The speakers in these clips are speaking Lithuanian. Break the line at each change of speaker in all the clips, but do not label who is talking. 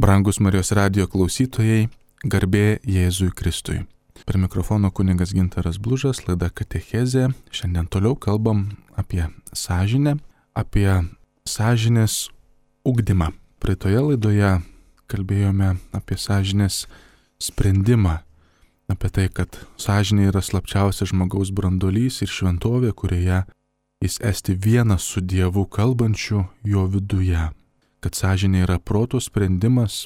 Brangus Marijos radijo klausytojai, garbė Jėzui Kristui. Per mikrofono kunigas Gintaras Blužas, laida Katechezė. Šiandien toliau kalbam apie sąžinę, apie sąžinės ugdymą. Praeitoje laidoje kalbėjome apie sąžinės sprendimą, apie tai, kad sąžinė yra slapčiausias žmogaus branduolys ir šventovė, kurioje jis esti vienas su Dievu kalbančiu jo viduje. Kad sąžinė yra proto sprendimas,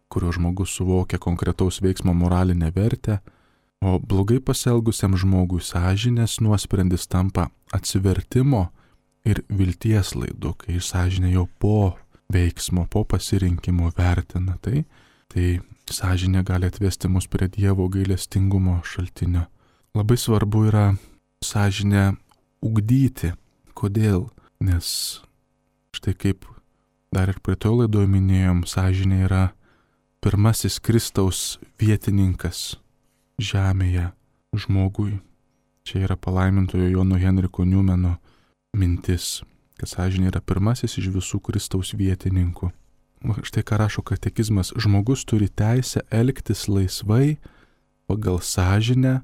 kurio žmogus suvokia konkretaus veiksmo moralinę vertę, o blogai pasielgusiam žmogui sąžinės nuosprendis tampa atsivertimo ir vilties laidu, kai sąžinė jau po veiksmo, po pasirinkimo vertina tai sąžinė gali atvesti mus prie Dievo gailestingumo šaltinio. Labai svarbu yra sąžinę ugdyti. Kodėl? Nes štai kaip dar ir praeitoje laidoje minėjom, sąžinė yra pirmasis Kristaus vietininkas žemėje žmogui. Čia yra palaimintojo Jono Henriko Niumeno mintis, kad sąžinė yra pirmasis iš visų Kristaus vietininkų. Štai ką rašo katekizmas: žmogus turi teisę elgtis laisvai pagal sąžinę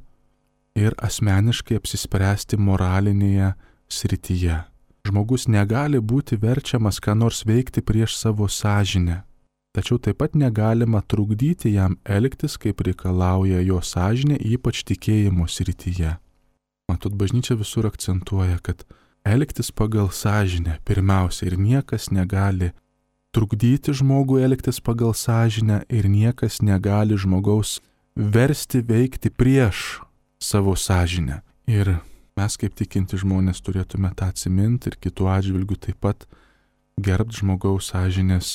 ir asmeniškai apsispręsti moralinėje srityje. Žmogus negali būti verčiamas ką nors veikti prieš savo sąžinę, tačiau taip pat negalima trukdyti jam elgtis, kaip reikalauja jo sąžinė, ypač tikėjimo srityje. Matot, bažnyčia visur akcentuoja, kad elgtis pagal sąžinę pirmiausia ir niekas negali trukdyti žmogui elgtis pagal sąžinę ir niekas negali žmogaus versti veikti prieš savo sąžinę. Ir mes kaip tikinti žmonės turėtume tą atsiminti ir kitų atžvilgių taip pat gerbti žmogaus sąžinės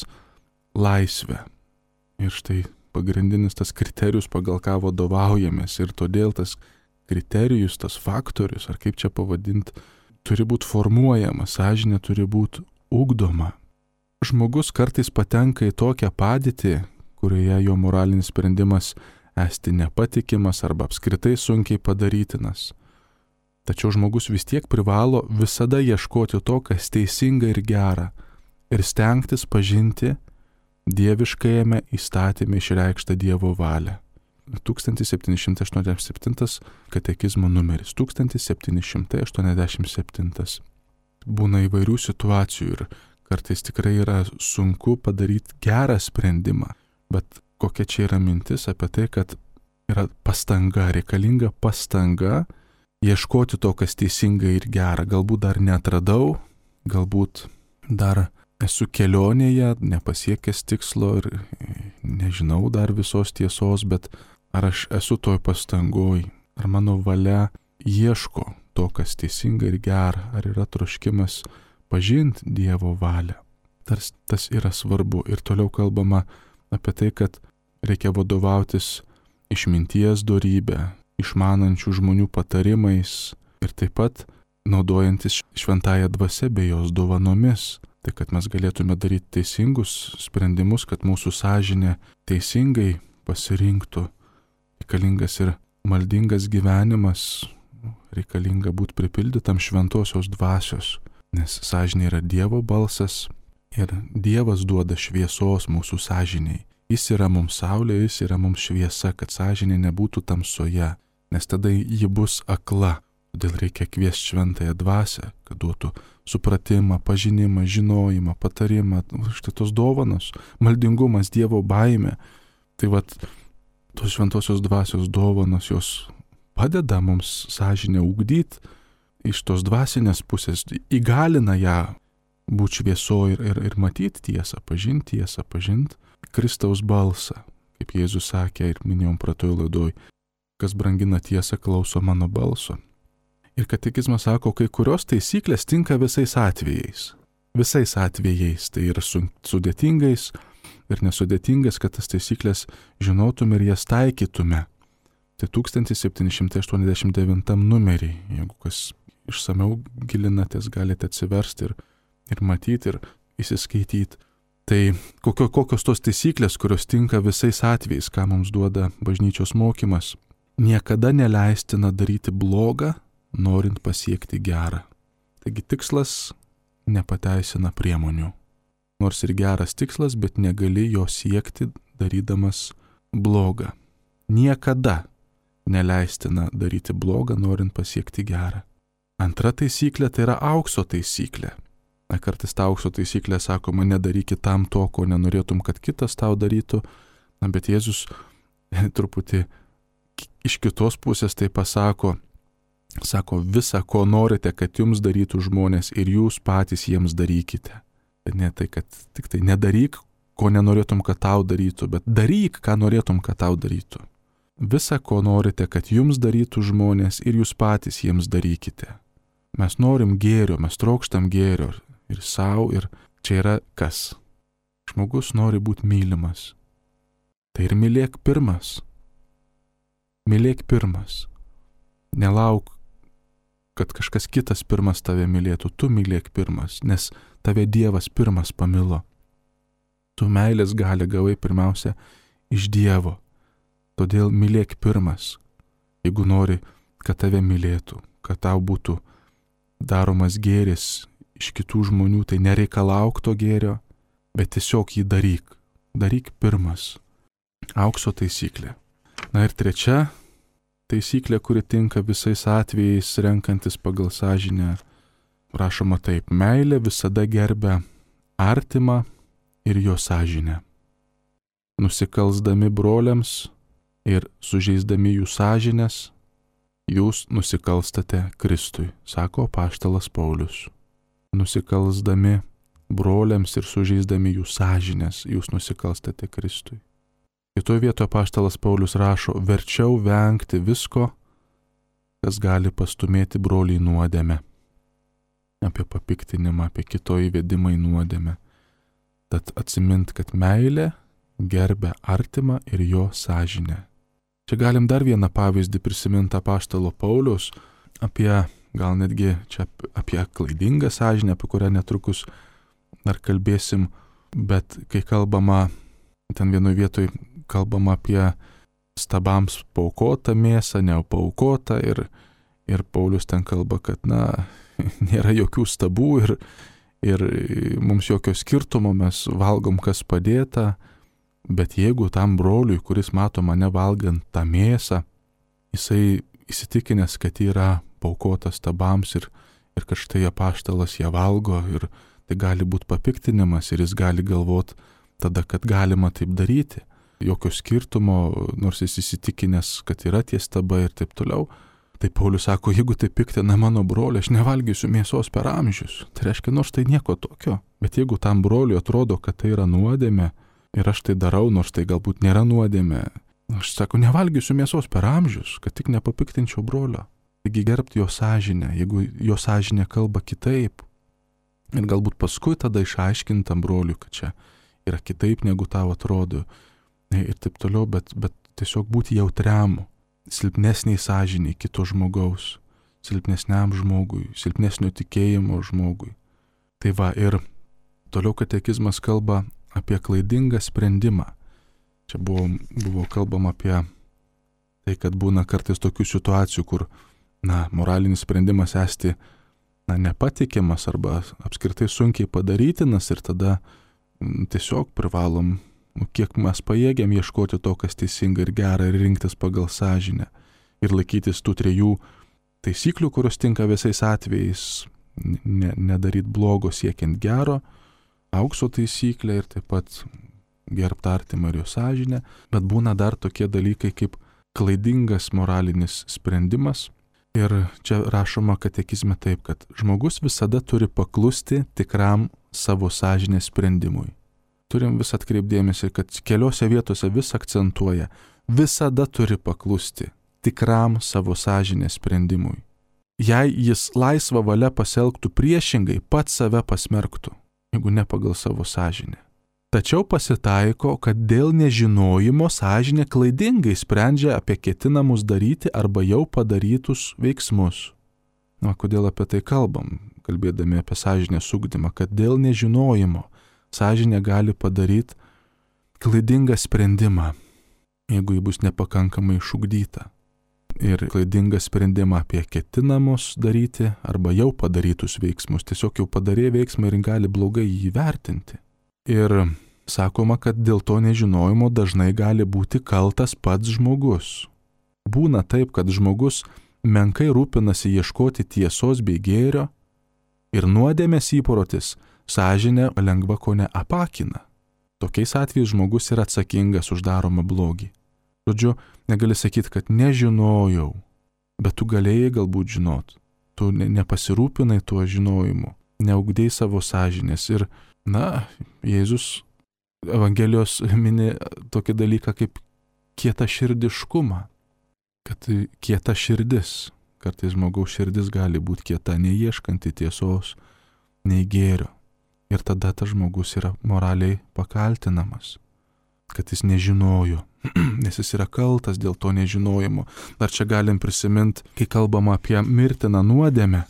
laisvę. Ir štai pagrindinis tas kriterijus, pagal ką vadovaujamės, ir todėl tas kriterijus, tas faktorius, ar kaip čia pavadinti, turi būti formuojama, sąžinė turi būti ugdoma. Žmogus kartais patenka į tokią padėtį, kurioje jo moralinis sprendimas esti nepatikimas arba apskritai sunkiai padarytinas. Tačiau žmogus vis tiek privalo visada ieškoti to, kas teisinga ir gera, ir stengtis pažinti dieviškajame įstatyme išreikštą Dievo valią. 1787 katekizmo numeris, 1787. Būna įvairių situacijų ir kartais tikrai yra sunku padaryti gerą sprendimą, bet kokia čia yra mintis apie tai, kad yra pastanga, reikalinga pastanga ieškoti to, kas teisinga ir gera. Galbūt dar neatradau, galbūt dar esu kelionėje, nepasiekęs tikslo ir nežinau dar visos tiesos, bet ar aš esu toj pastangoj, ar mano valia ieško to, kas teisinga ir gera, ar yra troškimas pažinti Dievo valią. Tas yra svarbu. Ir toliau kalbama apie tai, kad reikia vadovautis išminties dorybę, išmanančių žmonių patarimais ir taip pat naudojantis šventąją dvasią bei jos dovanomis. Tai kad mes galėtume daryti teisingus sprendimus, kad mūsų sąžinė teisingai pasirinktų. Reikalingas ir maldingas gyvenimas, reikalinga būti pripildytam šventosios dvasios, nes sąžinė yra Dievo balsas ir Dievas duoda šviesos mūsų sąžiniai. Jis yra mums saulė, jis yra mums šviesa, kad sąžinė nebūtų tamsoje, nes tada ji bus akla. Todėl reikia kviesti šventąją dvasią, kad duotų supratimą, pažinimą, žinojimą, patarimą, štai tos dovanos, maldingumas, Dievo baimė. Tai tos šventosios dvasios dovanos, jos padeda mums sąžinę ugdyti iš tos dvasinės pusės, įgalina ją būti šviesoje ir matyti tiesą, pažinti Kristaus balsą, kaip Jėzus sakė ir minėjom praeitoje laidoje, kas brangina tiesą, klauso mano balso. Ir katekizmas sako, kai kurios taisyklės tinka visais atvejais. Visais atvejais, tai ir sudėtingais ir nesudėtingais, kad tas taisyklės žinotume ir jas taikytume. Tai 1789 numerį, jeigu kas išsameu gilinatės, galite atsiversti ir matyti ir įsiskaityti. Tai kokios tos taisyklės, kurios tinka visais atvejais, ką mums duoda bažnyčios mokymas? Niekada neleistina daryti blogą, norint pasiekti gerą. Taigi tikslas nepateisina priemonių. nors ir geras tikslas, bet negali jo siekti darydamas blogą. Niekada neleistina daryti blogą, norint pasiekti gerą. Antra taisyklė tai yra aukso taisyklė. Kartais ta aukso taisyklė sakoma, nedaryk kitam to, ko nenorėtum, kad kitas tau darytų, bet Jėzus truputį iš kitos pusės tai pasako, visa, ko norite, kad jums darytų žmonės ir jūs patys jiems darykite. Ne tai, kad tik tai nedaryk, ko nenorėtum, kad tau darytų, bet daryk, ką norėtum, kad tau darytų. Visa, ko norite, kad jums darytų žmonės ir jūs patys jiems darykite. Mes norim gėrio, mes trokštam gėrio ir savo, ir čia yra kas? Žmogus nori būti mylimas. Tai ir mylėk pirmas. Mylėk pirmas. Nelauk, kad kažkas kitas pirmas tave mylėtų, tu mylėk pirmas, nes tave Dievas pirmas pamilo. Tu meilės gali gavai pirmiausia iš Dievo. Todėl mylėk pirmas, jeigu nori, kad tave mylėtų, kad tau būtų daromas gėris iš kitų žmonių, tai nereikalauk to gėrio, bet tiesiog jį daryk. Daryk pirmas. Aukso taisyklė. Na ir trečia taisyklė, kuri tinka visais atvejais renkantis pagal sąžinę, rašoma taip: meilė visada gerbia artimą ir jo sąžinę. Nusikalsdami broliams ir sužeisdami jų sąžinės, jūs nusikalstate Kristui, sako apaštalas Paulius. Nusikalsdami broliams ir sužeisdami jų sąžinės, jūs nusikalstate Kristui. Kitoje vietoje apaštalas Paulius rašo: verčiau vengti visko, kas gali pastumėti brolį į nuodėmę. Apie papiktinimą, apie kito įvedimą į nuodėmę. Tad atsimint, kad meilė gerbia artimą ir jo sąžinę. Čia galim dar vieną pavyzdį prisiminti apaštalo Pauliaus gal netgi čia apie klaidingą sąžinę, apie kurią netrukus dar kalbėsim, bet kai kalbama, ten vienoje vietoje kalbama apie stabams paaukotą mėsą, nepaaukotą ir Paulius ten kalba, kad nėra jokių stabų ir mums jokio skirtumo, mes valgom kas padėta, bet jeigu tam broliui, kuris mato mane valgant tą mėsą, jisai įsitikinęs, kad yra paaukotas stabams ir kad štai apaštalas ją valgo ir tai gali būti papiktinimas ir jis gali galvot tada, kad galima taip daryti. Jokio skirtumo, nors jis įsitikinęs, kad yra tie stabai ir taip toliau. Tai Paulius sako, jeigu tai piktina mano brolį, aš nevalgysiu mėsos per amžius. Tai reiškia, nors tai nieko tokio. Bet jeigu tam broliui atrodo, kad tai yra nuodėmė ir aš tai darau, nors tai galbūt nėra nuodėmė, aš sako, nevalgysiu mėsos per amžius, kad tik nepapiktinčiau brolio. Taigi gerbti jo sąžinę, jeigu jo sąžinė kalba kitaip. Ir galbūt paskui tada išaiškintam broliui, kad čia yra kitaip, negu tau atrodo. Ir taip toliau, bet tiesiog būti jautriam, silpnesniai sąžiniai kito žmogaus, silpnesniam žmogui, silpnesnio tikėjimo žmogui. Tai va, ir toliau katekizmas kalba apie klaidingą sprendimą. Čia buvo kalbama apie tai, kad būna kartais tokių situacijų, kur, moralinis sprendimas esti, nepatikimas arba apskritai sunkiai padarytinas ir tada tiesiog privalom, kiek mes pajėgiam ieškoti to, kas teisinga ir gera ir rinktis pagal sąžinę ir laikytis tų 3 taisyklių, kurios tinka visais atvejais, nedaryt blogo siekiant gero, aukso taisyklė ir taip pat gerbt artimą ir jo sąžinę, bet būna dar tokie dalykai kaip klaidingas moralinis sprendimas. Ir čia rašoma katekizme taip, kad žmogus visada turi paklusti tikram savo sąžinės sprendimui. Turim vis atkreipdėmėsi, kad keliose vietose vis akcentuoja, visada turi paklusti tikram savo sąžinės sprendimui. Jei jis laisvą valią pasielgtų priešingai, pats save pasmerktų, jeigu ne pagal savo sąžinę. Tačiau pasitaiko, kad dėl nežinojimo sąžinė klaidingai sprendžia apie ketinamus daryti arba jau padarytus veiksmus. Kodėl apie tai kalbam, kalbėdami apie sąžinės ugdymą, kad dėl nežinojimo sąžinė gali padaryti klaidingą sprendimą, jeigu ji bus nepakankamai išugdyta. Ir klaidingą sprendimą apie ketinamus daryti arba jau padarytus veiksmus. Tiesiog jau padarė veiksmą ir gali blogai jį vertinti. Ir sakoma, kad dėl to nežinojimo dažnai gali būti kaltas pats žmogus. Būna taip, kad žmogus menkai rūpinasi ieškoti tiesos bei gėrio ir nuodėmės įprotis sąžinę lengva kone apakina. Tokiais atvejais žmogus yra atsakingas už daromą blogį. Žodžiu, negali sakyti, kad nežinojau, bet tu galėjai galbūt žinot. Tu nepasirūpinai tuo žinojimu, neugdėjai savo sąžinės. Ir, Jėzus Evangelijos mini tokį dalyką kaip kietaširdiškumą. Kad kieta širdis, kartais žmogaus širdis gali būti kieta, neieškanti tiesos, nei gėrio. Ir tada tas žmogus yra moraliai pakaltinamas, kad jis nežinojo, nes jis yra kaltas dėl to nežinojimo. Dar čia galim prisiminti, kai kalbama apie mirtiną nuodėmę,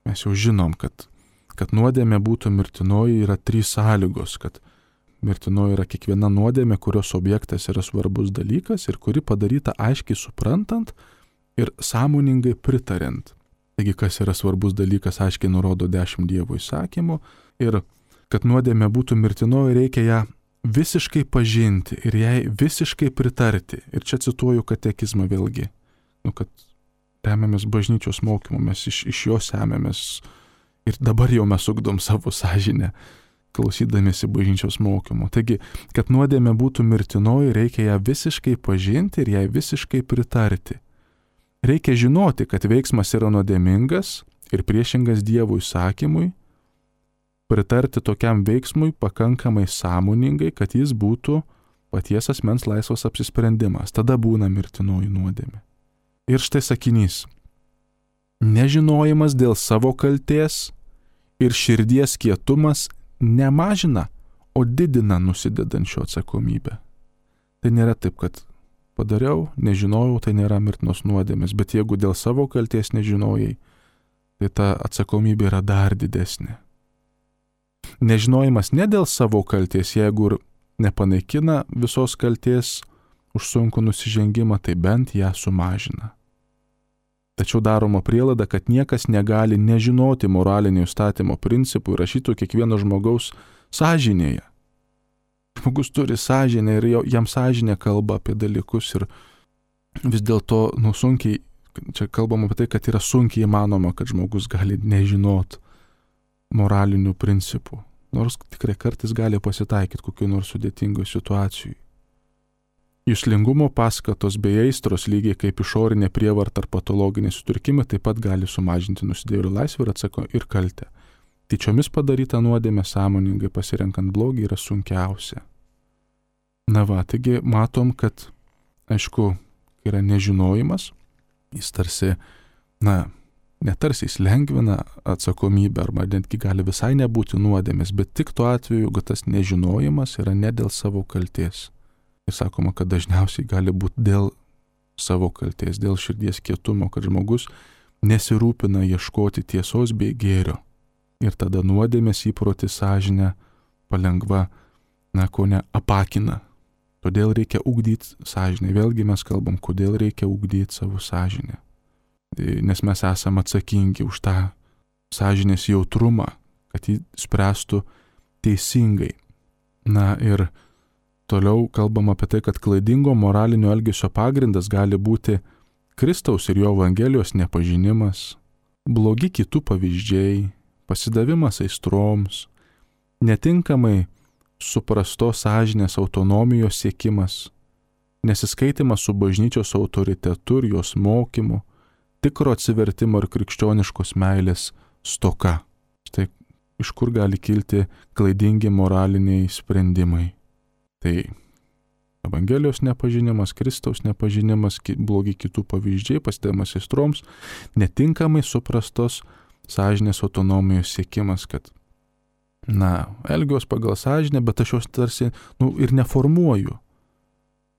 mes jau žinom, kad nuodėmė būtų mirtinoji yra 3 sąlygos, kad mirtinoji yra kiekviena nuodėmė, kurios objektas yra svarbus dalykas ir kuri padaryta aiškiai suprantant ir sąmoningai pritarint. Taigi, kas yra svarbus dalykas, aiškiai nurodo 10 Dievo įsakymų ir kad nuodėmė būtų mirtinoji, reikia ją visiškai pažinti ir jai visiškai pritarti. Ir čia cituoju katekizmą vėlgi, kad remiamės bažnyčios mokymu, mes iš jo semiamės ir dabar jau mes ugdom savo sąžinę, klausydamiesi bažnyčios mokymo. Taigi, kad nuodėmė būtų mirtinoji, reikia ją visiškai pažinti ir jai visiškai pritarti. Reikia žinoti, kad veiksmas yra nuodėmingas ir priešingas Dievo įsakymui, pritarti tokiam veiksmui pakankamai sąmoningai, kad jis būtų paties asmens laisvas apsisprendimas. Tada būna mirtinoji nuodėmė. Ir štai sakinys. Nežinojimas dėl savo kaltės ir širdies kietumas nemažina, o didina nusidedančio atsakomybę. Tai nėra taip, kad padariau, nežinojau, tai nėra mirtinos nuodėmės, bet jeigu dėl savo kalties nežinojai, tai ta atsakomybė yra dar didesnė. Nežinojimas ne dėl savo kalties, jeigu ir nepanaikina visos kalties už sunkų nusižengimą, tai bent ją sumažina. Tačiau daroma prielaida, kad niekas negali nežinoti moralinio įstatymo principų įrašytų kiekvieno žmogaus sąžinėje. Žmogus turi sąžinę ir jam sąžinė kalba apie dalykus ir vis dėlto sunkiai, čia kalbama apie tai, kad yra sunkiai įmanoma, kad žmogus gali nežinot moralinių principų. Nors tikrai kartais gali pasitaikyti kokių nors sudėtingų situacijų. Juslingumo paskatos bei aistros, lygiai kaip išorinė prievarta ar patologiniai sutrikimai, taip pat gali sumažinti nusidėjėlių laisvę ir kaltę. Tyčiomis padaryta nuodėmė sąmoningai pasirenkant blogį yra sunkiausia. Taigi matom, kad, aišku, yra nežinojimas, jis tarsi, netarsi jis lengvina atsakomybę, arba netgi gali visai nebūti nuodėmės, bet tik tuo atveju, kad tas nežinojimas yra ne dėl savo kalties. Ir sakoma, kad dažniausiai gali būti dėl savo kalties, dėl širdies kietumo, kad žmogus nesirūpina ieškoti tiesos bei gėrio. Ir tada nuodėmės įprotį sąžinę palengva, kone apakina. Todėl reikia ugdyti sąžinę. Vėlgi mes kalbam, kodėl reikia ugdyti savo sąžinę. Nes mes esame atsakingi už tą sąžinės jautrumą, kad jį spręstų teisingai. Ir toliau kalbam apie tai, kad klaidingo moralinio elgesio pagrindas gali būti Kristaus ir jo Evangelijos nepažinimas, blogi kitų pavyzdžiai, pasidavimas aistroms, netinkamai suprastos sąžinės autonomijos siekimas, nesiskaitimas su bažnyčios autoritetu ir jos mokymu, tikro atsivertimo ir krikščioniškos meilės stoka. Štai iš kur gali kilti klaidingi moraliniai sprendimai. Tai Evangelijos nepažinimas, Kristaus nepažinimas, blogi kitų pavyzdžiai, pasidavimas aistroms, netinkamai suprastos sąžinės autonomijos siekimas, kad, elgiuos pagal sąžinę, bet aš jos tarsi, ir neformuoju.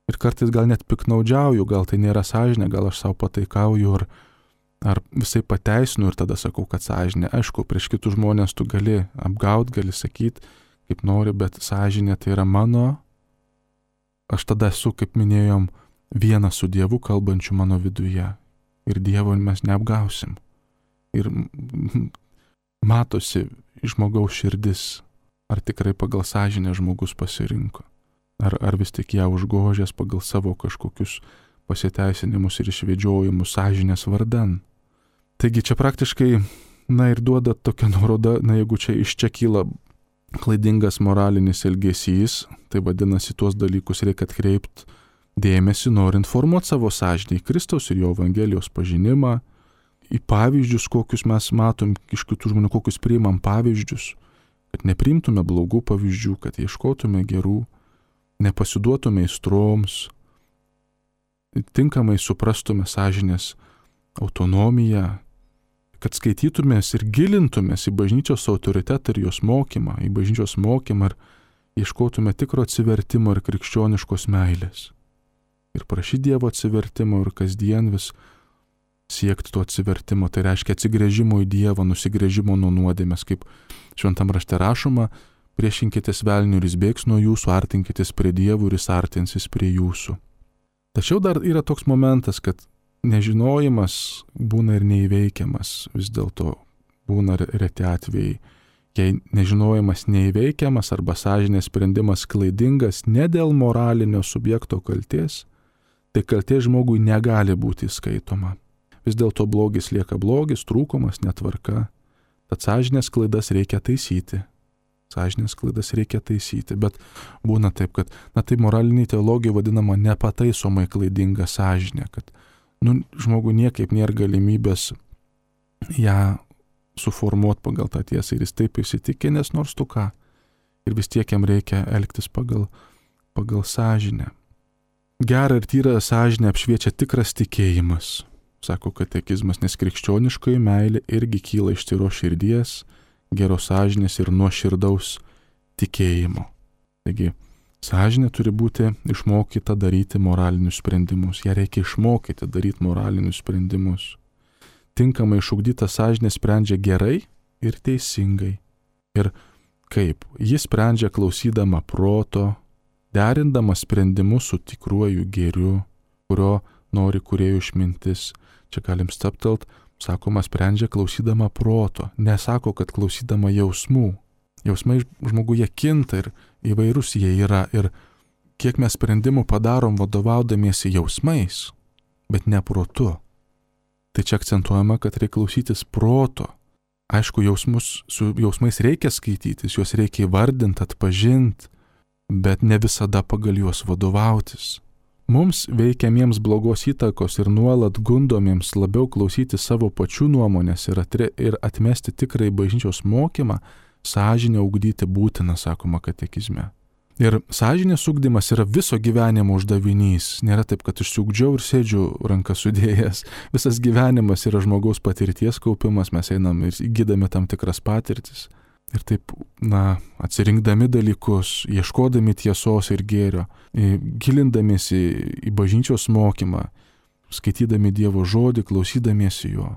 Ir kartais gal net piknaudžiauju, gal tai nėra sąžinė, gal aš savo pataikauju ar visai pateisinu ir tada sakau, kad sąžinė. Aišku, prieš kitus žmonės tu gali apgaut, gali sakyti, kaip nori, bet sąžinė tai yra mano. Aš tada esu, kaip minėjom, vienas su Dievu kalbančiu mano viduje. Ir Dievo mes neapgausim. Ir matosi žmogaus širdis. Ar tikrai pagal sąžinę žmogus pasirinko? Ar vis tik ją užgožęs pagal savo kažkokius pasiteisinimus ir išvedžiojimus sąžinės vardan? Taigi čia praktiškai, ir duoda tokią nuorodą, jeigu čia iš čia kyla klaidingas moralinis elgesys, tai vadinasi, tuos dalykus reikia atkreipti dėmesį, norint formuoti savo sąžinę į Kristaus ir jo Evangelijos pažinimą, į pavyzdžius, kokius mes matom iš kitų žmonių, kokius priimam pavyzdžius, kad nepriimtume blogų pavyzdžių, kad ieškotume gerų, nepasiduotume aistroms, tinkamai suprastume sąžinės autonomiją, kad skaitytumės ir gilintumės į bažnyčios autoritetą ir jos mokymą, į bažnyčios mokymą ir ieškotume tikro atsivertimo ir krikščioniškos meilės. Ir prašyti Dievo atsivertimo ir kasdien vis siekti to atsivertimo, tai reiškia atsigręžimo į Dievą, nusigręžimo nuo nuodėmės, kaip šventam rašte rašoma, priešinkitės velniui ir jis bėgs nuo jūsų, artinkitės prie Dievų ir jis artinsis prie jūsų. Tačiau dar yra toks momentas, kad nežinojimas būna ir neįveikiamas, vis dėlto būna reti atvejai. Jei nežinojimas neįveikiamas arba sąžinės sprendimas klaidingas ne dėl moralinio subjekto kaltės, tai kaltė žmogui negali būti skaitoma. Vis dėlto blogis lieka blogis, trūkumas, netvarka. Tad sąžinės klaidas reikia taisyti. Bet būna taip, kad, tai moraliniai teologijai vadinama nepataisomai klaidinga sąžinė, kad žmogui niekaip nėra galimybės ją suformuoti pagal tą tiesą ir jis taip įsitikinęs, nors tu ką. Ir vis tiek jam reikia elgtis pagal sąžinę. Gerą ir tyrą sąžinę apšviečia tikras tikėjimas, sako katekizmas, nes krikščioniškoji meilė irgi kyla iš tyros širdies, geros sąžinės ir nuoširdaus tikėjimo. Taigi, sąžinė turi būti išmokyta daryti moralinius sprendimus. Ją reikia išmokyti daryti moralinius sprendimus. Tinkamai išugdyta sąžinė sprendžia gerai ir teisingai. Ir kaip? Jis sprendžia klausydama proto, derindama sprendimus su tikruoju gėriu, kurio nori kūrėjų išmintis. Čia galim stabtelt, sakoma, sprendžia klausydama proto. Nesako, kad klausydama jausmų. Jausmai žmoguje kinta ir įvairūs jie yra ir kiek mes sprendimų padarom vadovaudamiesi jausmais, bet ne protu. Tai čia akcentuojama, kad reikia klausytis proto. Aišku, su jausmais reikia skaitytis, juos reikia įvardinti, atpažinti, bet ne visada pagal juos vadovautis. Mums veikiamiems blogos įtakos ir nuolat gundomiems labiau klausyti savo pačių nuomonės ir atmesti tikrai bažnyčios mokymą, sąžinę ugdyti būtina, sakoma katekizme. Ir sąžinės ugdymas yra viso gyvenimo uždavinys. Nėra taip, kad išsiugdžiau ir sėdžiu ranką sudėjęs. Visas gyvenimas yra žmogaus patirties kaupimas, mes einam ir įgydami tam tikras patirtis. Ir taip, atsirinkdami dalykus, ieškodami tiesos ir gėrio, gilindamiesi į bažnyčios mokymą, skaitydami Dievo žodį, klausydamiesi jo.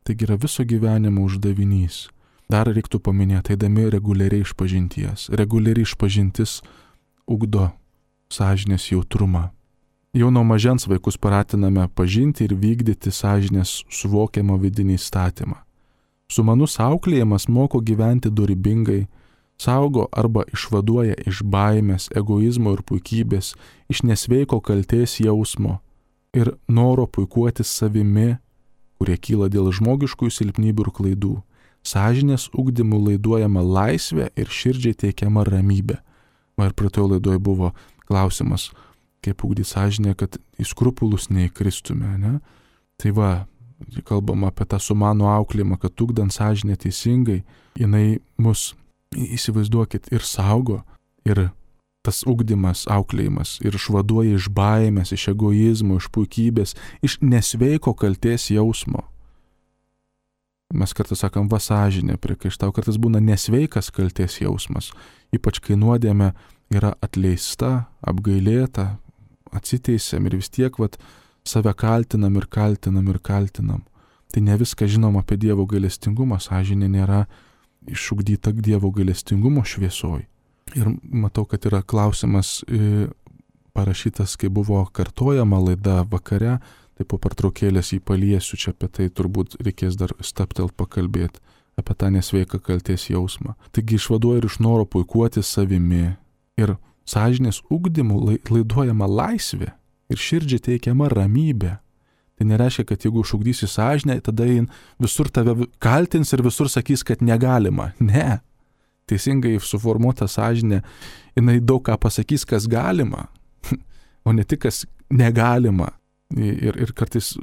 Taigi yra viso gyvenimo uždavinys. Dar reiktų paminėti, eidami reguliariai išpažinties. Reguliariai išpažintis ugdo sąžinės jautrumą. Jau nuo mažens vaikus paratiname pažinti ir vykdyti sąžinės suvokiamą vidinį įstatymą. Sumanus auklėjimas moko gyventi dorybingai, saugo arba išvaduoja iš baimės, egoizmo ir puikybės, iš nesveiko kaltės jausmo ir noro puikuotis savimi, kurie kyla dėl žmogiškųjų silpnybių ir klaidų. Sąžinės ugdymų laiduojama laisvė ir širdžiai teikiama ramybė. Ir prie to laidoje buvo klausimas, kaip ugdyti sąžinę, kad į skrupulus neįkristume, ne? Tai kalbama apie tą sumanų auklėjimą, kad ugdant sąžinę teisingai, jinai mus, įsivaizduokit, ir saugo, ir tas ugdymas, auklėjimas, ir išvaduoja iš baimės, iš egoizmo, iš puikybės, iš nesveiko kaltės jausmo. Mes kartais sakom, sąžinė priekaištauja, kartais būna nesveikas kaltės jausmas, ypač kai nuodėmė yra atleista, apgailėta, atsiteisėm ir vis tiek save kaltinam. Tai ne viską žinom apie Dievo gailestingumą, sąžinė nėra išugdyta Dievo gailestingumo šviesoj. Ir matau, kad yra klausimas parašytas, kai buvo kartojama laida vakare, tai po pertraukėlės jį paliesiu, čia apie tai turbūt reikės dar staptelt pakalbėti. apie tą nesveiką kaltės jausmą. Taigi išvaduoja ir iš noro puikuoti savimi. Ir sąžinės ugdymų laiduojama laisvė ir širdžiai teikiama ramybė. Tai nereiškia, kad jeigu išugdysi sąžinę, tada jin visur tave kaltins ir visur sakys, kad negalima. Ne. Teisingai suformuota sąžinė, jinai daug ką pasakys, kas galima, o ne tik kas negalima. Ir kartais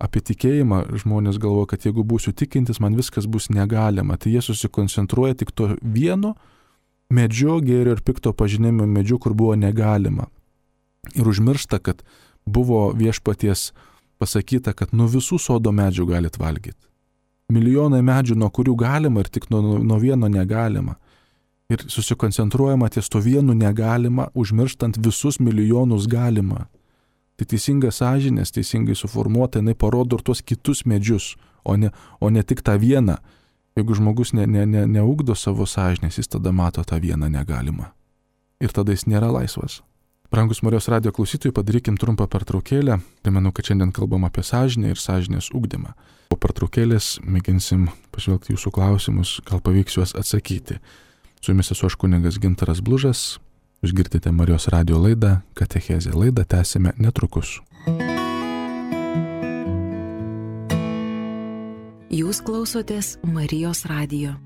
apie tikėjimą žmonės galvoja, kad jeigu būsiu tikintis, man viskas bus negalima. Tai jie susikoncentruoja tik to vieno medžio, gėrio ir pikto pažinimo medžiu, kur buvo negalima. Ir užmiršta, kad buvo viešpaties pasakyta, kad nuo visų sodo medžių galit valgyti. Milijonai medžių, nuo kurių galima ir tik nuo vieno negalima. Ir susikoncentruojama ties to vienu negalima, užmirštant visus milijonus galima. Tai teisinga sąžinės, teisingai suformuota, jinai parodo ir tuos kitus medžius, o ne tik tą vieną. Jeigu žmogus neugdo savo sąžinės, jis tada mato tą vieną negalima. Ir tada jis nėra laisvas. Brangus Marijos radijo klausytojai, padarykim trumpą pertraukėlę. Primenu, kad šiandien kalbam apie sąžinę ir sąžinės ugdymą. Po pertraukėlės mėginsim pažvelgti jūsų klausimus, gal pavyks juos atsakyti. Su jumis esu aš kunigas Gintaras Blužas. Jūs girdite Marijos radijo laidą Katechezė. Laidą tęsime netrukus.
Jūs klausotės Marijos radijo.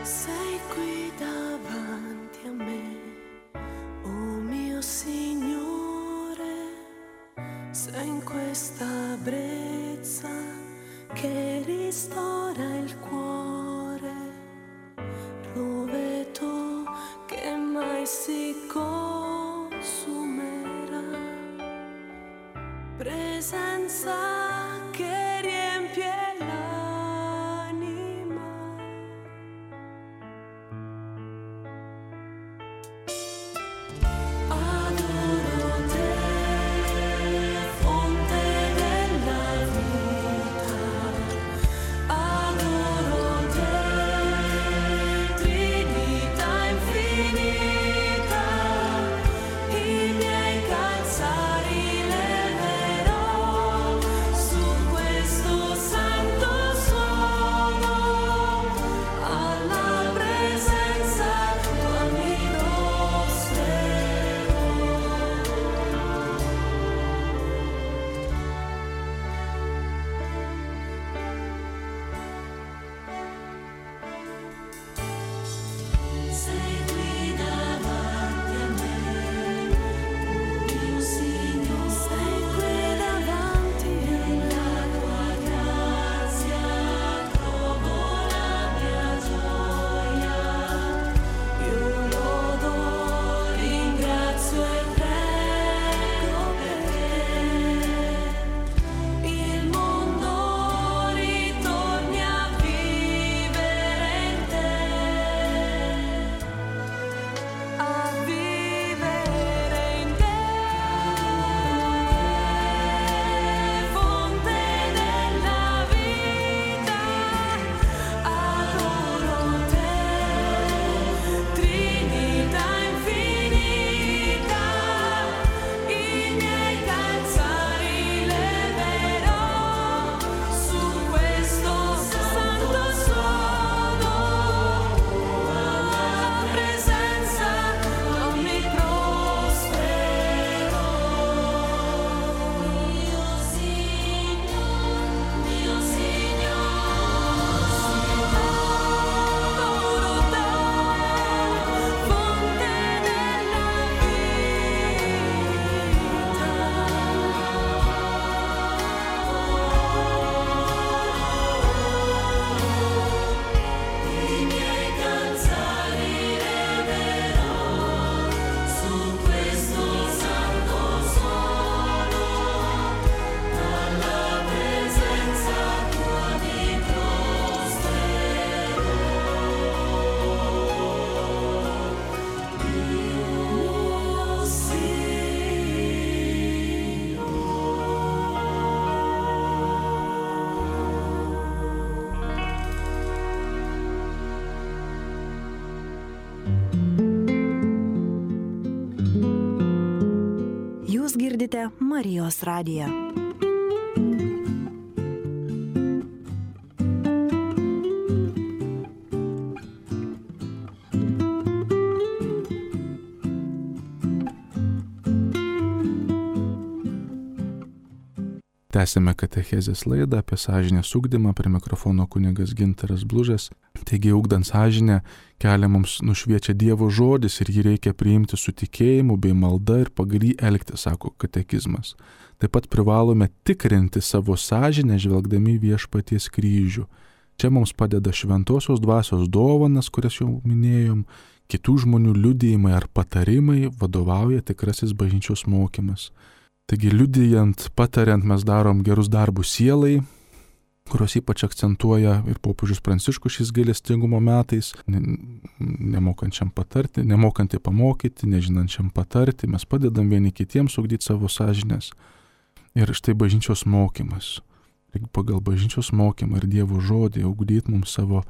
Sei qui davanti a me, oh mio Signore, sei in questa brezza che ristora il cuore, roveto che mai si consumerà, presenza che riempie
Jūs girdite Marijos radiją.
Tęsime katechezės laidą apie sąžinės ugdymą, prie mikrofono kunigas Gintaras Blužas. Taigi, ugdant sąžinę, kelią mums nušviečia Dievo žodis ir jį reikia priimti su tikėjimu bei malda ir pagal jį elgti, sako katekizmas. Taip pat privalome tikrinti savo sąžinę, žvelgdami Viešpaties kryžių. Čia mums padeda šventosios dvasios dovanas, kurias jau minėjom, kitų žmonių liudijimai ar patarimai, vadovauja tikrasis bažnyčios mokymas. Taigi liudijant, patariant mes darom gerus darbus sielai, kurios ypač akcentuoja ir popiežius Pranciškus šiais gailestingumo metais, nemokančiam patarti, nemokantį pamokyti, nežinančiam patarti, mes padedam vieni kitiems ugdyti savo sąžinės. Ir štai bažnyčios mokymas. Reikia pagal bažnyčios mokymą ir Dievo žodį ugdyti mums savo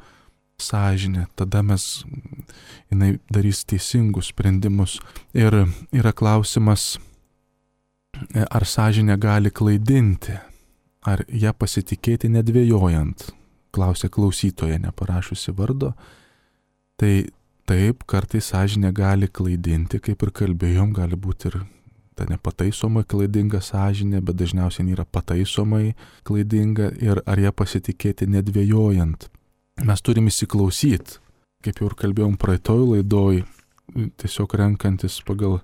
sąžinę, tada jinai darys teisingus sprendimus. Ir yra klausimas, ar sąžinė gali klaidinti, ar ją pasitikėti nedvejojant, klausė klausytoja, neparašusi vardo. Tai taip, kartais sąžinė gali klaidinti, kaip ir kalbėjom, gali būti ir ta nepataisomai klaidinga sąžinė, bet dažniausiai yra pataisomai klaidinga ir ar ją pasitikėti nedvejojant. Mes turim įsiklausyti, kaip jau ir kalbėjom praeitoj laidoj, tiesiog renkantis pagal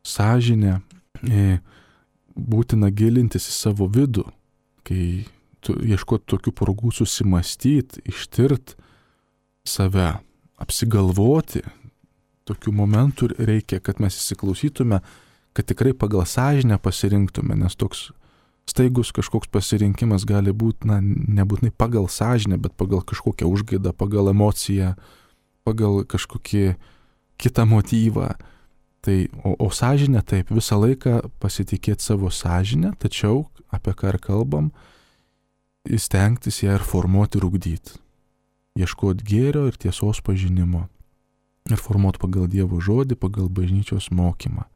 sąžinę, būtina gilintis į savo vidų, kai ieškoti tokių progų susimastyti, ištirti save, apsigalvoti. Tokių momentų reikia, kad mes įsiklausytume, kad tikrai pagal sąžinę pasirinktume, nes toks staigus kažkoks pasirinkimas gali būti, nebūtinai pagal sąžinę, bet pagal kažkokią užgaidą, pagal emociją, pagal kažkokį kitą motyvą. Tai, o sąžinė taip, visą laiką pasitikėti savo sąžinę, tačiau, apie ką ir kalbam, įstengtis ją ir formuoti ir ugdyti. Ieškoti gėrio ir tiesos pažinimo. Ir formuoti pagal Dievo žodį, pagal bažnyčios mokymą.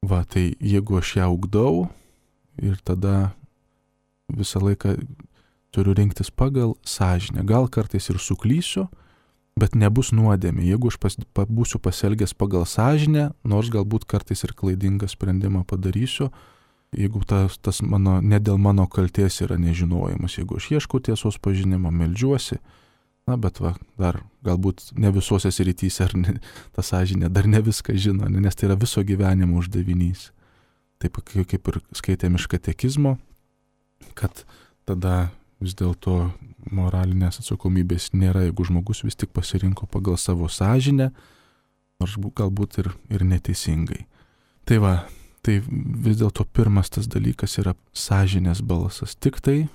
Va, tai jeigu aš ją ugdau ir tada visą laiką turiu rinktis pagal sąžinę. Gal kartais ir suklysiu, bet nebus nuodėmė, jeigu aš būsiu pasielgęs pagal sąžinę, nors galbūt kartais ir klaidingą sprendimą padarysiu, jeigu tas mano, ne dėl mano kaltės yra nežinojimas, jeigu aš ieškau tiesos pažinimo, meldžiuosi, bet dar galbūt ne visose srityse ta sąžinė dar ne viską žino, nes tai yra viso gyvenimo uždavinys. Taip kaip ir skaitėm iš katekizmo, kad tada vis dėlto moralinės atsakomybės nėra, jeigu žmogus vis tik pasirinko pagal savo sąžinę, nors galbūt ir neteisingai. Tai vis dėlto pirmas tas dalykas yra sąžinės balsas. Tik tai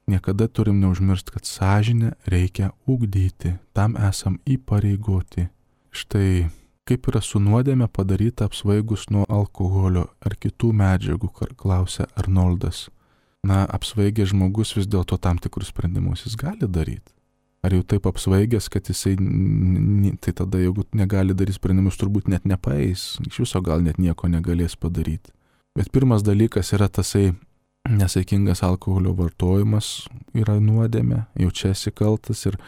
niekada turim neužmiršti, kad sąžinę reikia ugdyti, tam esam įpareigoti. Štai kaip yra su nuodėme padaryta apsvaigus nuo alkoholio ar kitų medžiagų, klausė Arnoldas. Apsvaigęs žmogus vis dėlto tam tikrus sprendimus jis gali daryti. Ar jau taip apsvaigęs, kad jisai, tai tada jeigu negali daryti sprendimus, turbūt net nepaeis, iš viso gal net nieko negalės padaryti. Bet pirmas dalykas yra tasai nesaikingas alkoholio vartojimas yra nuodėmė, jau čia esi kaltas ir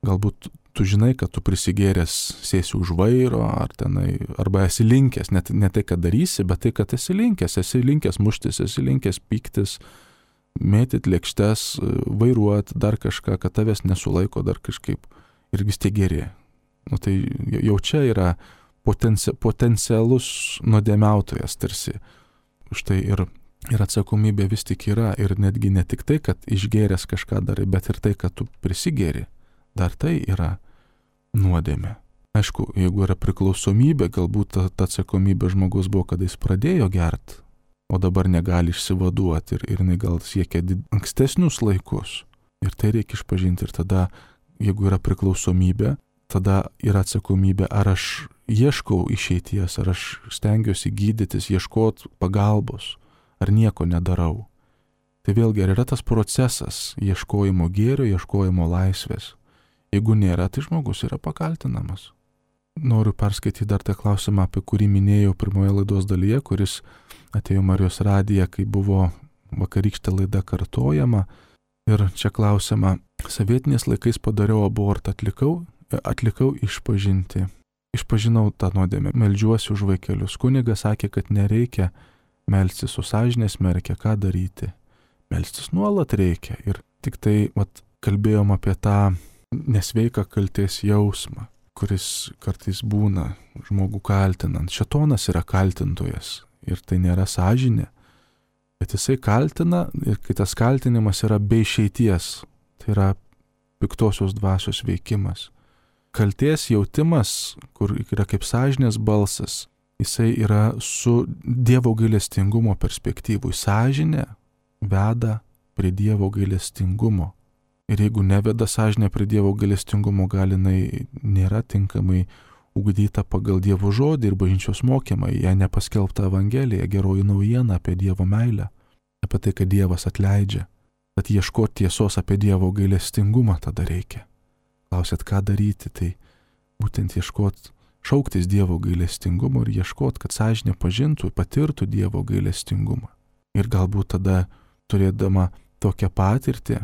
galbūt tu žinai, kad tu prisigėręs sėsi už vairo, arba esi linkęs, ne tai, kad darysi, bet tai, kad esi linkęs muštis, esi linkęs pyktis, mėtyti lėkštes, vairuoti, dar kažką, kad tavęs nesulaiko dar kažkaip ir vis tiek geri. Tai jau čia yra potencialus nuodėmiautojas tarsi. Štai ir atsakomybė vis tik yra ir netgi ne tik tai, kad išgėręs kažką darai, bet ir tai, kad tu prisigėri. Dar tai yra nuodėmė. Aišku, jeigu yra priklausomybė, galbūt ta atsakomybė žmogus buvo, kada jis pradėjo gert, o dabar negali išsivaduoti ir jinai gal siekia ankstesnius laikus. Ir tai reikia išpažinti. Ir tada, jeigu yra priklausomybė, tada yra atsakomybė, ar aš ieškau išeities, ar aš stengiuosi gydytis, ieškoti pagalbos, ar nieko nedarau. Tai vėlgi, ar yra tas procesas ieškojimo gėrio, ieškojimo laisvės. Jeigu nėra, tai žmogus yra pakaltinamas. Noriu perskaityti dar tą klausimą, apie kurį minėjau pirmoje laidos dalyje, kuris atėjo Marijos radiją, kai buvo vakarykštė laida kartojama ir čia klausiama, sovietiniais laikais padariau abortą, atlikau išpažinti. Išpažinau tą nuodėmę, meldžiuosi už vaikelius. Kunigas sakė, kad nereikia melstis, su sąžinė smerkia, ką daryti. Melstis nuolat reikia ir tik tai kalbėjom apie tą nesveiką kaltės jausmą, kuris kartais būna žmogų kaltinant. Šėtonas yra kaltintojas ir tai nėra sąžinė, bet jisai kaltina ir kai tas kaltinimas yra be išeities, tai yra piktosios dvasios veikimas. Kaltės jautimas, kur yra kaip sąžinės balsas, jisai yra su Dievo gailestingumo perspektyvų. Sąžinė veda prie Dievo gailestingumo. Ir jeigu neveda sąžinė prie Dievo gailestingumo, gal jinai nėra tinkamai ugdyta pagal Dievo žodį ir bažnyčios mokymą, ją nepaskelbta Evangelija, geroji naujiena apie Dievo meilę, apie tai, kad Dievas atleidžia. Tad ieškoti tiesos apie Dievo gailestingumą tada reikia. Klausėt, ką daryti, tai būtent šauktis Dievo gailestingumo ir ieškoti, kad sąžinė pažintų, patirtų Dievo gailestingumą. Ir galbūt tada, turėdama tokią patirtį,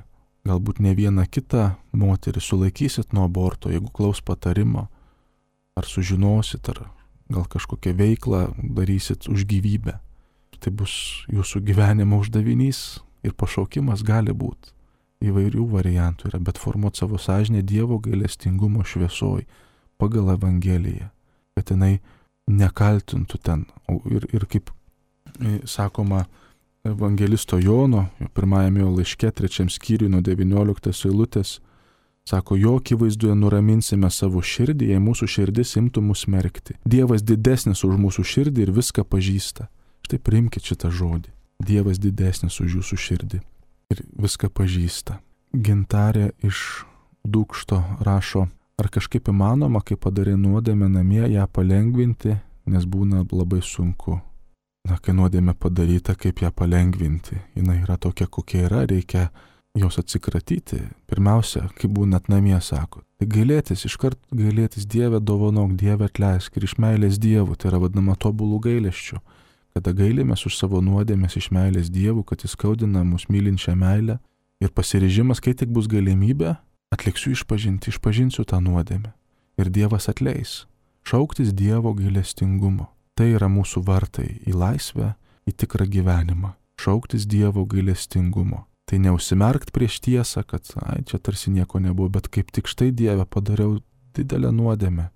galbūt ne vieną kitą moterį sulaikysit nuo aborto, jeigu klaus patarimo, ar sužinosit, ar gal kažkokią veiklą darysit už gyvybę. Tai bus jūsų gyvenimo uždavinys ir pašaukimas gali būti. Įvairių variantų yra, bet formuoti savo sąžinę Dievo gailestingumo šviesoj pagal Evangeliją, kad jinai nekaltintų ten. Ir kaip sakoma evangelisto Jono, pirmajame jo laiške, 3 skyriui nuo 19 eilutės, sako, jo akivaizdoje nuraminsime savo širdį, jei mūsų širdis imtų mus smerkti. Dievas didesnis už mūsų širdį ir viską pažįsta. Štai priimkit šitą žodį. Dievas didesnis už jūsų širdį ir viską pažįsta. Gintarė iš Dūkšto rašo, ar kažkaip įmanoma, kai padarai nuodėmę namie, ją palengvinti, nes būna labai sunku. Kai nuodėmė padaryta, kaip ją palengvinti. Jinai yra tokia, kokia yra, reikia jos atsikratyti. Pirmiausia, kai būnat namie, sako. Tai gailėtis, iškart gailėtis, Dieve dovanok, Dieve atleisk ir iš meilės Dievų, tai yra vadinama tobulų gailesčių. Kada gailimės už savo nuodėmės iš meilės Dievų, kad jis skaudina mus mylinčią meilę ir pasiryžimas, kai tik bus galimybė, atliksiu išpažinsiu tą nuodėmę. Ir Dievas atleis. Šauktis Dievo gailestingumo. Tai yra mūsų vartai į laisvę, į tikrą gyvenimą. Šauktis Dievo gailestingumo. Tai neužsimerkt prieš tiesą, kad čia tarsi nieko nebuvo, bet kaip tik štai Dieve padariau didelę nuodėmę.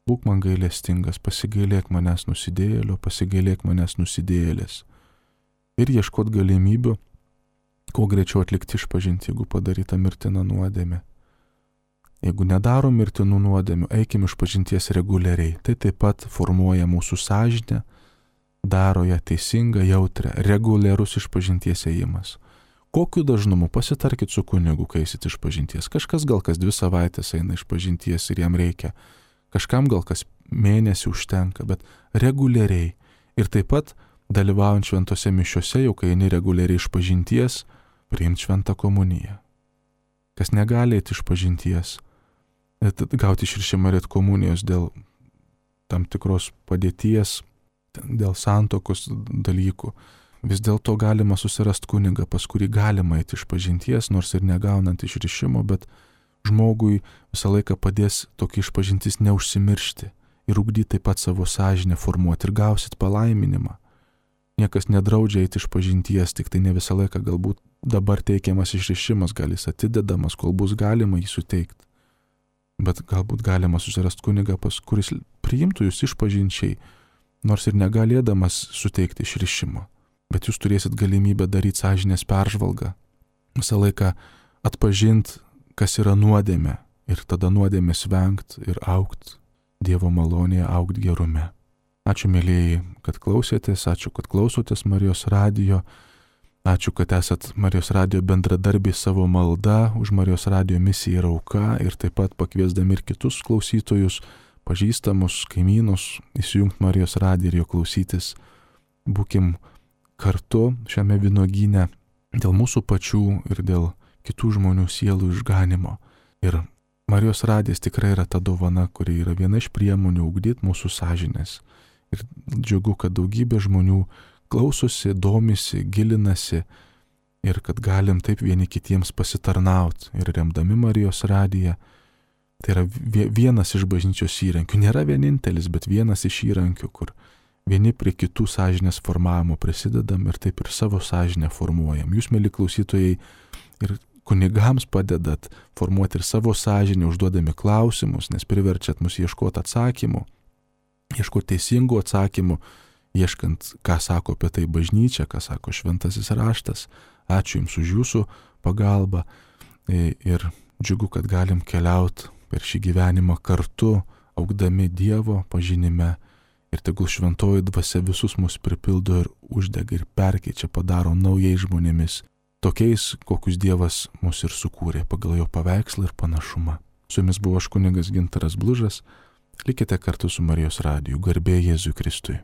Būk man gailestingas, pasigailėk manęs nusidėjėlio, pasigailėk manęs nusidėjėlės. Ir ieškot galimybių, kuo greičiau atlikti išpažinti, jeigu padaryta mirtina nuodėmė. Jeigu nedaro mirtinų nuodėmių, eikim išpažinties reguliariai. Tai taip pat formuoja mūsų sąžinę, daro ją teisingą, jautrę, reguliarus išpažinties ėjimas. Kokiu dažnumu pasitarkit su kunigu, kai eisit išpažinties. Kažkas gal kas 2 savaitės eina išpažinties ir jam reikia. Kažkam gal kas mėnesį užtenka, bet reguliariai. Ir taip pat dalyvaujant šventose mišiose, jau kai eini reguliariai išpažinties, priimti šventą komuniją. Kas negali eiti išpažinties, gauti išrišimą ir komunijos dėl tam tikros padėties, dėl santokos dalykų. Vis dėlto galima susirasti kunigą, pas kurį galima eiti išpažinties, nors ir negaunant išrišimo, bet žmogui visą laiką padės tokį išpažintis neužsimiršti ir ugdyti taip pat savo sąžinę formuoti ir gausit palaiminimą. Niekas nedraudžia eiti išpažinties, tik tai ne visą laiką galbūt dabar teikiamas išrišimas, gal jis atidedamas, kol bus galima jį suteikti. Bet galbūt galima susirasti kunigą, kuris priimtų jūs išpažinčiai, nors ir negalėdamas suteikti išrišimo. Bet jūs turėsit galimybę daryti sąžinės peržvalgą, visą laiką atpažinti, kas yra nuodėmė ir tada nuodėmės vengt ir augt Dievo malonėje, augt gerume. Ačiū, mėlyjeji, kad klausėtės, ačiū, kad klausotės Marijos radijo, ačiū, kad esat Marijos radijo bendradarbiai savo malda, už Marijos radijo misiją ir auką ir taip pat pakviesdami ir kitus klausytojus, pažįstamus, kaimynus, įsijungti Marijos radiją ir jo klausytis. Būkim kartu šiame vynuogyne dėl mūsų pačių ir dėl kitų žmonių sielų išganimo. Ir Marijos radijas tikrai yra ta dovana, kuri yra viena iš priemonių ugdyti mūsų sąžinės. Ir džiugu, kad daugybė žmonių klausosi, domisi, gilinasi ir kad galim taip vieni kitiems pasitarnauti ir remdami Marijos radiją. Tai yra vienas iš bažnyčios įrankių, nėra vienintelis, bet vienas iš įrankių, kur vieni prie kitų sąžinės formavimo prisidedam ir taip ir savo sąžinę formuojam. Jūs, mėly klausytojai, ir kunigams padedat formuoti ir savo sąžinę, užduodami klausimus, nes priverčiat mus ieškoti atsakymų, ieškoti teisingų atsakymų, ieškant, ką sako apie tai bažnyčia, ką sako šventasis raštas. Ačiū Jums už Jūsų pagalbą ir džiugu, kad galim keliauti per šį gyvenimą kartu, augdami Dievo pažinime ir tegul šventoji dvasia visus mus pripildo ir uždega ir perkeičia, padaro naujais žmonėmis, tokiais, kokius Dievas mus ir sukūrė pagal Jo paveikslą ir panašumą. Su Jumis buvo aš kunigas Gintaras Blužas, likite kartu su Marijos radiju, garbė Jėzui Kristui.